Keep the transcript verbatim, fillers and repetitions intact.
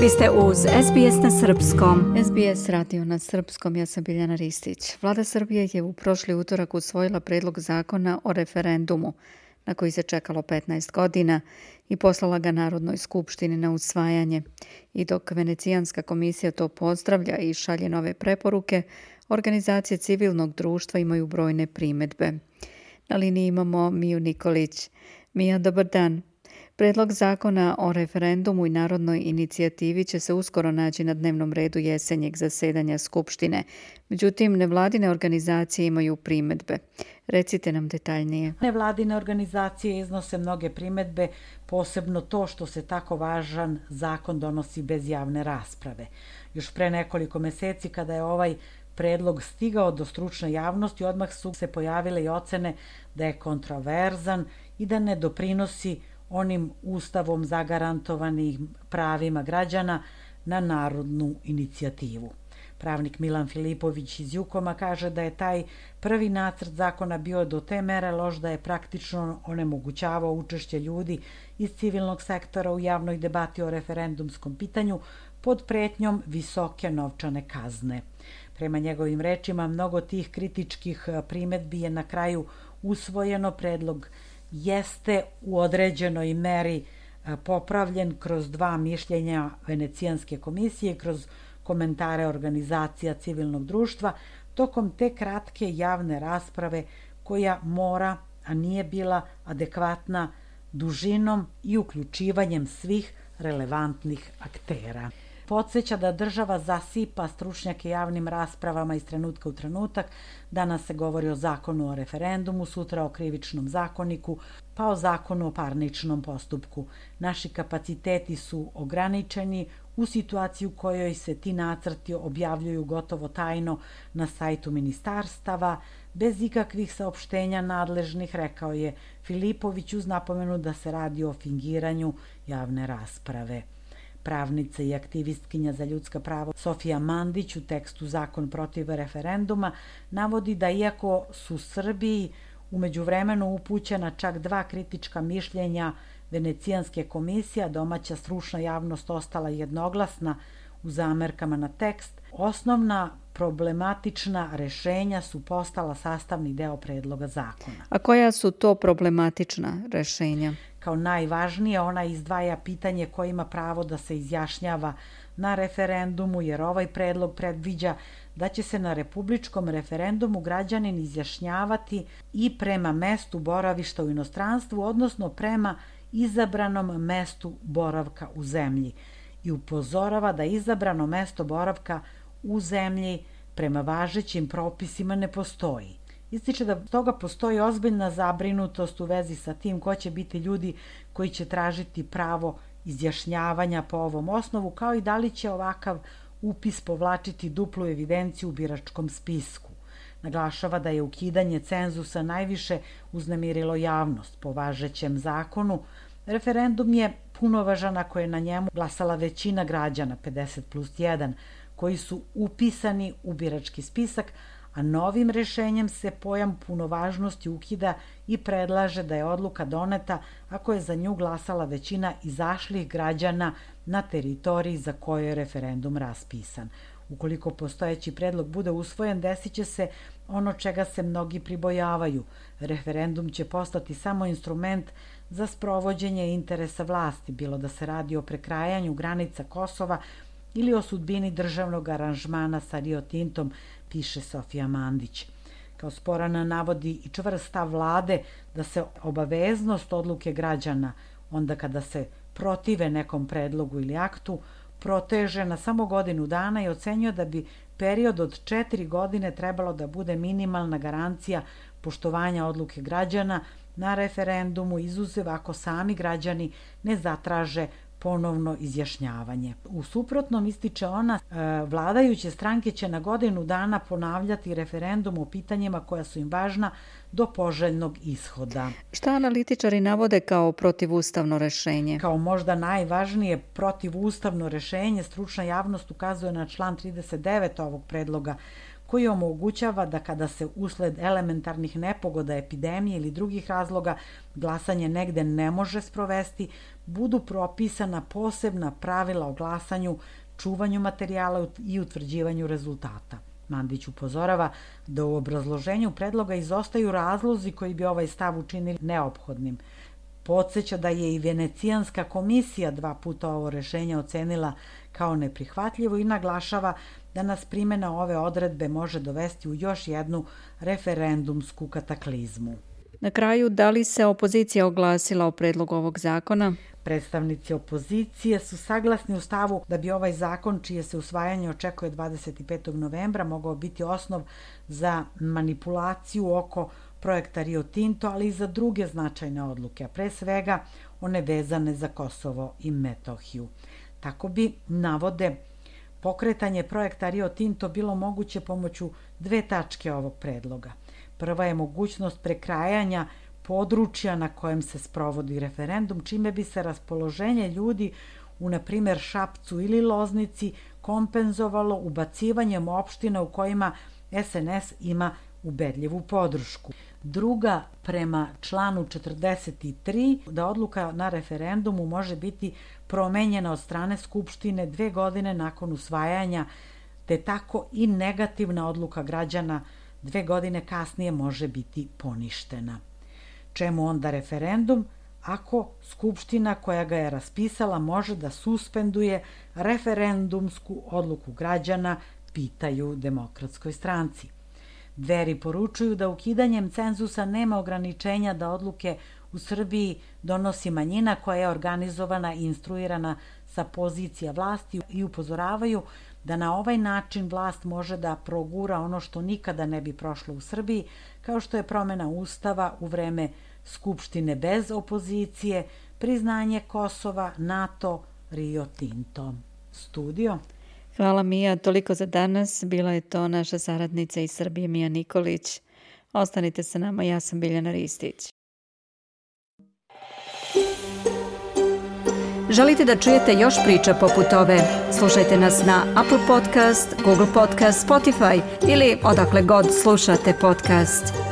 Vi ste uz S B S na srpskom. S B S radio na srpskom, ja sam Biljana Ristić. Vlada Srbije je u prošli utorak usvojila predlog zakona o referendumu, na koji se čekalo petnaest godina, i poslala ga Narodnoj skupštini na usvajanje. I dok Venecijanska komisija to pozdravlja i šalje nove preporuke, organizacije civilnog društva imaju brojne primedbe. Na liniji imamo Miju Nikolić. Mija, dobar dan. Predlog zakona o referendumu i narodnoj inicijativi će se uskoro naći na dnevnom redu jesenjeg zasedanja Skupštine. Međutim, nevladine organizacije imaju primedbe. Recite nam detaljnije. Nevladine organizacije iznose mnoge primedbe, posebno to što se tako važan zakon donosi bez javne rasprave. Još pre nekoliko meseci, kada je ovaj predlog stigao do stručne javnosti, odmah su se pojavile i ocene da je kontroverzan i da ne doprinosi onim ustavom zagarantovanim pravima građana na narodnu inicijativu. Pravnik Milan Filipović iz Jukoma kaže da je taj prvi nacrt zakona bio do te mere loš da je praktično onemogućavao učešće ljudi iz civilnog sektora u javnoj debati o referendumskom pitanju pod pretnjom visoke novčane kazne. Prema njegovim rečima, mnogo tih kritičkih primedbi je na kraju usvojeno. Predlog jeste u određenoj meri popravljen kroz dva mišljenja Venecijanske komisije, kroz komentare organizacija civilnog društva, tokom te kratke javne rasprave koja mora, a nije bila adekvatna dužinom i uključivanjem svih relevantnih aktera. Podsjeća da država zasipa stručnjake javnim raspravama iz trenutka u trenutak. Danas se govori o zakonu o referendumu, sutra o krivičnom zakoniku, pa o zakonu o parničnom postupku. Naši kapaciteti su ograničeni u situaciji u kojoj se ti nacrti objavljuju gotovo tajno na sajtu ministarstava, bez ikakvih saopštenja nadležnih, rekao je Filipović uz napomenu da se radi o fingiranju javne rasprave. Pravnica i aktivistkinja za ljudska prava Sofija Mandić u tekstu Zakon protiv referenduma navodi da iako su Srbiji u međuvremenu upućena čak dva kritička mišljenja Venecijanske komisije, domaća stručna javnost ostala jednoglasna u zamerkama na tekst, osnovna problematična rešenja su postala sastavni deo predloga zakona. A koja su to problematična rešenja? Kao najvažnije, ona izdvaja pitanje ko ima pravo da se izjašnjava na referendumu, jer ovaj predlog predviđa da će se na republičkom referendumu građanin izjašnjavati i prema mestu boravišta u inostranstvu, odnosno prema izabranom mestu boravka u zemlji, i upozorava da izabrano mesto boravka u zemlji prema važećim propisima ne postoji. Ističe da toga postoji ozbiljna zabrinutost u vezi sa tim ko će biti ljudi koji će tražiti pravo izjašnjavanja po ovom osnovu, kao i da li će ovakav upis povlačiti duplu evidenciju u biračkom spisku. Naglašava da je ukidanje cenzusa najviše uznemirilo javnost. Po važećem zakonu, referendum je punovažan ako je na njemu glasala većina građana, pedeset plus jedan, koji su upisani u birački spisak, a novim rešenjem se pojam punovažnosti ukida i predlaže da je odluka doneta ako je za nju glasala većina izašlih građana na teritoriji za koju je referendum raspisan. Ukoliko postojeći predlog bude usvojen, desit će se ono čega se mnogi pribojavaju. Referendum će postati samo instrument za sprovođenje interesa vlasti, bilo da se radi o prekrajanju granica Kosova ili o sudbini državnog aranžmana sa Rio Tintom, piše Sofija Mandić. Kao sporana navodi i čvrst stav vlade da se obaveznost odluke građana, onda kada se protive nekom predlogu ili aktu, proteže na samo godinu dana i ocenjuje da bi period od četiri godine trebalo da bude minimalna garancija poštovanja odluke građana na referendumu, izuzev ako sami građani ne zatraže ponovno izjašnjavanje. U suprotnom, ističe ona, vladajuće stranke će na godinu dana ponavljati referendum o pitanjima koja su im važna do poželjnog ishoda. Šta analitičari navode kao protivustavno rešenje? Kao možda najvažnije protivustavno rešenje, stručna javnost ukazuje na član trideset devet ovog predloga koji omogućava da kada se usled elementarnih nepogoda, epidemije ili drugih razloga glasanje negde ne može sprovesti, budu propisana posebna pravila o glasanju, čuvanju materijala i utvrđivanju rezultata. Mandić upozorava da u obrazloženju predloga izostaju razlozi koji bi ovaj stav učinili neophodnim. Podseća da je i Venecijanska komisija dva puta ovo rešenje ocenila kao neprihvatljivo i naglašava da nas primjena ove odredbe može dovesti u još jednu referendumsku kataklizmu. Na kraju, da li se opozicija oglasila o predlogu ovog zakona? Predstavnici opozicije su saglasni u stavu da bi ovaj zakon, čije se usvajanje očekuje dvadeset petog novembra, mogao biti osnov za manipulaciju oko projekta Rio Tinto, ali i za druge značajne odluke, a pre svega one vezane za Kosovo i Metohiju. Tako bi, navode, pokretanje projekta Rio Tinto bilo moguće pomoću dve tačke ovog predloga. Prva je mogućnost prekrajanja područja na kojem se sprovodi referendum, čime bi se raspoloženje ljudi u, na primjer, Šapcu ili Loznici kompenzovalo ubacivanjem opština u kojima es en es ima ubedljivu podršku. Druga, prema članu četrdeset tri, da odluka na referendumu može biti promenjena od strane Skupštine dve godine nakon usvajanja, te tako i negativna odluka građana dve godine kasnije može biti poništena. Čemu onda referendum ako Skupština koja ga je raspisala može da suspenduje referendumsku odluku građana, pitaju Demokratskoj stranci. Dveri poručuju da ukidanjem cenzusa nema ograničenja da odluke u Srbiji donosi manjina koja je organizovana i instruirana sa pozicija vlasti i upozoravaju da na ovaj način vlast može da progura ono što nikada ne bi prošlo u Srbiji, kao što je promena Ustava u vreme Skupštine bez opozicije, priznanje Kosova, NATO, Rio Tinto. Studio. Hvala Mija, toliko za danas. Bila je to naša saradnica iz Srbije Mija Nikolić. Ostanite sa nama, ja sam Biljana Ristić. Želite da čujete još priča poput ove? Slušajte nas na Apple Podcast, Google Podcast, Spotify ili odakle god slušate podcast.